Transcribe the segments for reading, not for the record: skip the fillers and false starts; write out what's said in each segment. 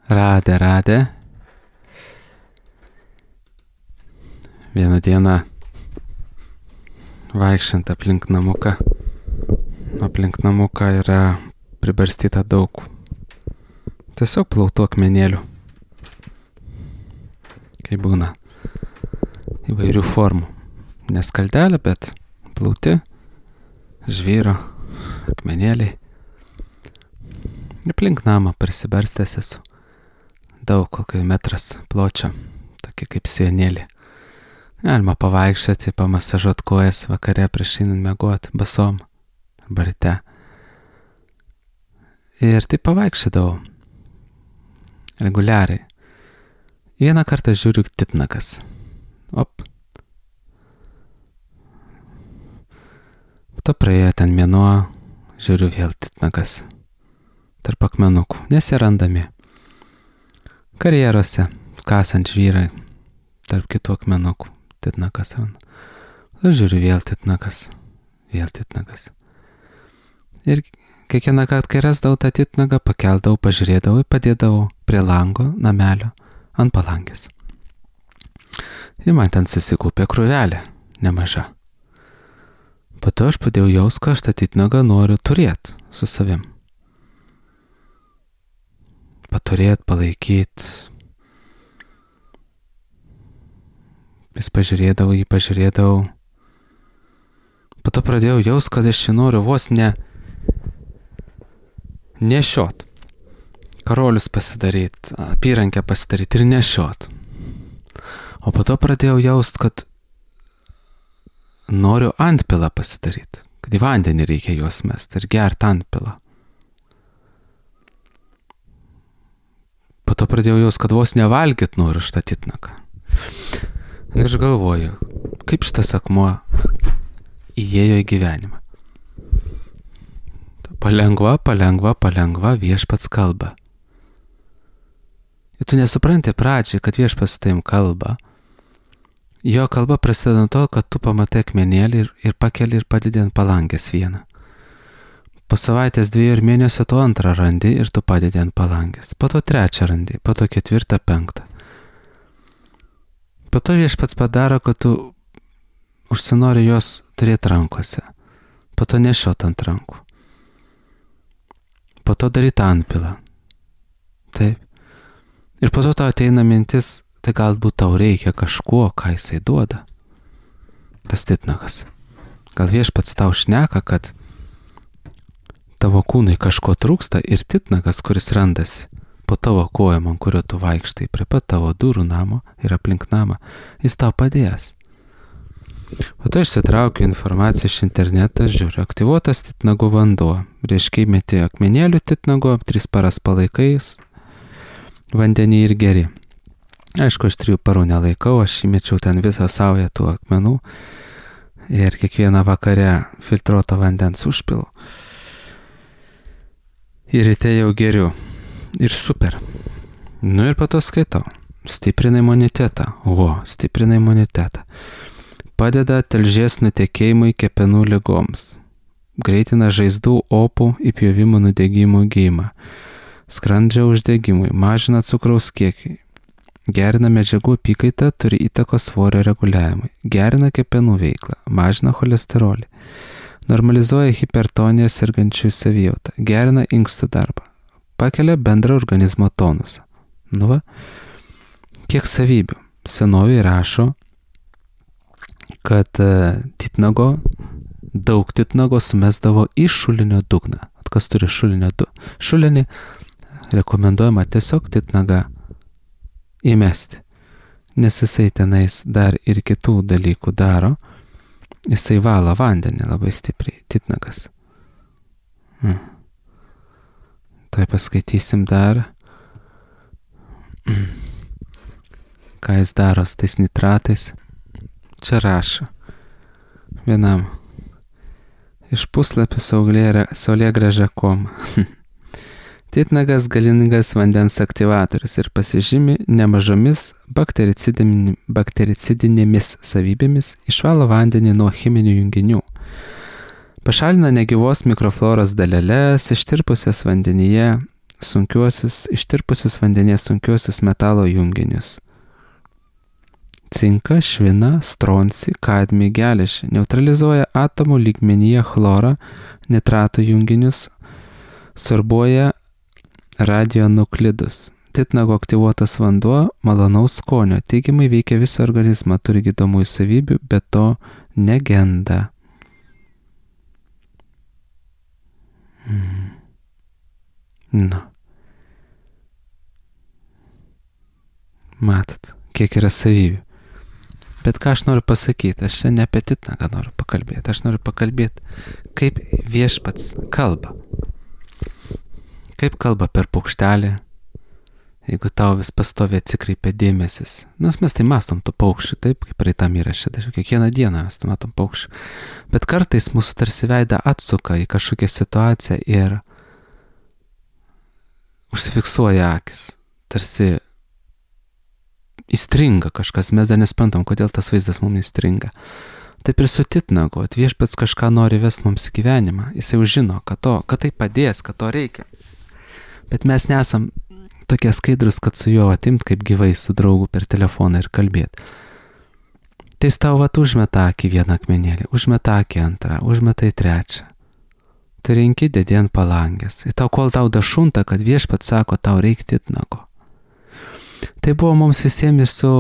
Radę. Vieną dieną vaikščiant aplink namuką yra pribarstyta daug tiesiog plautų akmenėlių. Kai būna įvairių formų. Ne skaldelė, bet plauti, žvyro, akmenėliai. Aplink namą prisibarstęs esu. Daug, kokiai metras pločio, tokie kaip sienėlį. Galima pavaikščioti, pamasažuot kojas vakare prieš einant miegot, basom arba ryte. Ir taip pavaikščiodavau reguliariai. Vieną kartą žiūriu titnagas. Po to praėjo ten mėnuo, žiūriu vėl titnagas. Tarp akmenukų, nesirandami. Karjerose, kasant žvyrai, tarp kitų akmenukų, titnagas randa. Žiūriu vėl titnagas. Ir kiekvieną kartą, kai rasdavau tą titnagą, pakeldavau, pažiūrėdavau ir padėdavau prie lango, namelio, ant palangės. Ir man ten susikaupė krūvelė, nemaža. Po to aš padėjau jaust, kad aš tą titnagą noriu turėti su savim. Paturėt, palaikyt. Vis pažiūrėdavau. Po to pradėjau jaust, kad aš jį noriu vos nešiot. Karolius pasidaryt, apyrankę pasidaryt ir nešiot. O po to pradėjau jaust, kad noriu antpilą pasidaryt. Kad į vandenį reikia juos mest ir gert antpilą. Po to pradėjau jaust, kad vos nevalgyt noriu šitą titnagą. Ir aš galvoju, kaip šitas akmuo įėjo į gyvenimą. Palengva viešpats kalba. Ir tu nesupranti pradžiai, kad viešpats taim kalba. Jo kalba prasideda nuo to, kad tu pamatai akmenėlį ir pakeli ir padedi ant palangės vieną. Po savaitės 2 ir mėnesio tu antrą randi ir tu padedi ant palangės. Po to 3 randi, po to 4, 5. Po to viešpats padaro, kad tu užsinori jos turėti rankose. Po to nešiot ant rankų. Po to daryti antpilą. Taip. Ir po to tau ateina mintis, tai galbūt tau reikia kažko, ką jisai duoda. Tas titnagas. Gal viešpats tau šneka, kad tavo kūnui kažko trūksta ir titnagas, kuris randasi po tavo kojom, ant kurio tu vaikštai prie pat tavo durų namo ir aplink namą, jis tau padės. Po to išsitraukiu informaciją iš interneto, žiūriu, aktyvuotas titnagų vanduo. Reiškia įmeti akmenėlių titnago, 3 paras palaikais, vandenį ir geri. Aišku, aš 3 parų nelaikau, aš įmečiau ten visą saują tų akmenų ir kiekvieną vakarę filtruoto vandens užpilu. Ir ryte jau geriu. Ir super. Ir po to skaitau. Stiprina imunitetą. Stiprina imunitetą. Padeda tilžės nutekėjimui kepenų ligoms. Greitina žaizdų, opų, įpjovimų nudegimų gijimą. Skrandžio uždegimui. Mažina cukraus kiekį. Gerina medžiagų apykaitą, turi įtakos svorio reguliavimui. Gerina kepenų veiklą. Mažina cholesterolį. Normalizuoja hipertoniją sergančių savijautą, gerina inkstų darbą, pakelia bendrą organizmo tonusą. Kiek savybių. Senovėje rašo, kad daug titnago sumesdavo į šulinio dugną. Kas turi šulinį, rekomenduojama tiesiog titnagą įmesti, nes jisai tenais dar ir kitų dalykų daro. Jisai valo vandenį labai stipriai, titnagas. Tai paskaitysim dar, ką jis daro su tais nitratais. Čia rašo vienam iš puslapių saulėgrąža.com. Titnagas galingas vandens aktyvatorius ir pasižymi nemažomis baktericidinėmis savybėmis, išvalo vandenį nuo cheminių junginių. Pašalina negyvos mikrofloros daleles, ištirpusias vandenyje, ištirpusius vandenės sunkiuosius metalo junginius. Cinką, šviną, stronsį, kadmį, geležį, neutralizuoja atomų lygmenyje chlorą, nitrato junginius, sorbuoja radionuklidus. Titnago aktyvuotas vanduo malonaus skonio, teigiamai veikia visą organizmą, turi gydomųjų savybių, bet to negenda. Matot, kiek yra savybių. Bet ką aš noriu pasakyti, aš čia ne apie titnagą noriu pakalbėti, aš noriu pakalbėti, kaip viešpats kalba. Kaip kalba per paukštelį, jeigu tau vis pastoviai atsikreipia dėmesis. Nes mes tai mastom tų paukščių, taip, kaip praeitam įraše, kiekvieną dieną mes matom paukščių. Bet kartais mūsų tarsi veidą atsuka į kažkokią situaciją ir užsifiksuoja akis, tarsi įstringa kažkas, mes dar nesprantam, kodėl tas vaizdas mums įstringa. Taip ir su titnagu, viešpats kažką nori vest mums į gyvenimą, jisai jau žino, kad tai padės, kad to reikia. Bet mes nesam tokie skaidrus, kad su juo atimt kaip gyvai su draugu per telefoną ir kalbėti. Tai jis tau užmeta akį vieną akmenėlį, užmeta akį antrą, užmeta į trečią. Tu renki dedi ant palangės. Ir tau kol tau dašunta, kad viešpats sako, tau reikia titnago. Tai buvo mums visiems su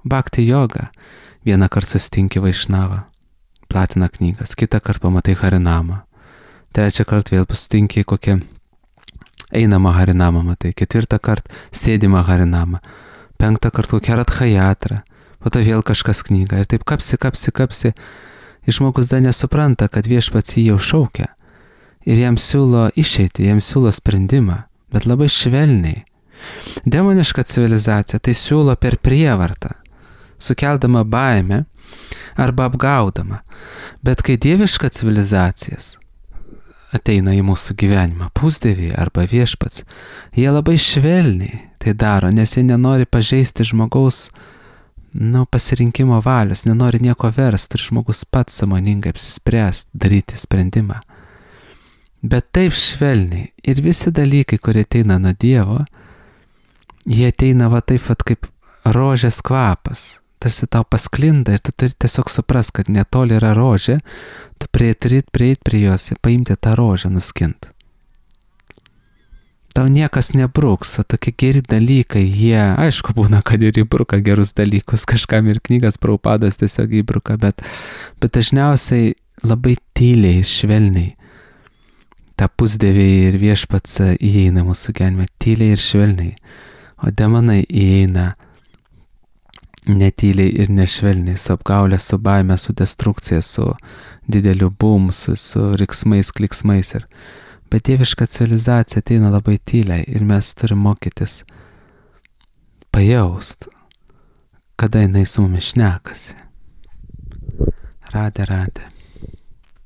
Bhakti joga. Vieną kartą susitinki Vaišnavą, platina knygas, kitą kartą pamatai Harinamą, trečią kartą vėl susitinki kokią einamą Harinamą, matai, ketvirtą kartą sėdimą Harinamą, penktą kartą kokią Radhajatrą, po to vėl kažkas knygą ir taip kapsi. Ir žmogus dar nesupranta, kad viešpats jį jau šaukia ir jam siūlo išeitį, jam siūlo sprendimą, bet labai švelniai. Demoniška civilizacija tai siūlo per prievartą, sukeldama baimę arba apgaudama. Bet kai dieviška civilizacijas ateina į mūsų gyvenimą, pusdieviai arba viešpats, jie labai švelniai tai daro, nes jie nenori pažeisti žmogaus pasirinkimo valios, nenori nieko versti, ir žmogus pats sąmoningai apsispręsti, daryti sprendimą. Bet taip švelniai ir visi dalykai, kurie ateina nuo Dievo, jie ateina taip kaip rožės kvapas, tarsi tau pasklinda ir tu turi tiesiog supras, kad netoli yra rožė, tu turi prieiti prie jos ir paimti tą rožę, nuskint. Tau niekas nebruks, o tokie geri dalykai, jie, aišku, būna, kad ir įbruka gerus dalykus, kažkam ir knygas Prabhupadas tiesiog įbruka, bet dažniausiai labai tyliai, švelniai. Ta pusdieviai ir viešpats įeina mūsų gyvenime tyliai ir švelniai. O demonai įeina netyliai ir nešvelniai, su apgaulė, su baime, su destrukcija, su dideliu bum, su riksmais, kliksmais. Bet dieviška civilizacija ateina labai tyliai ir mes turim mokytis pajaust, kada jinai su mumis šnekasi. Radė.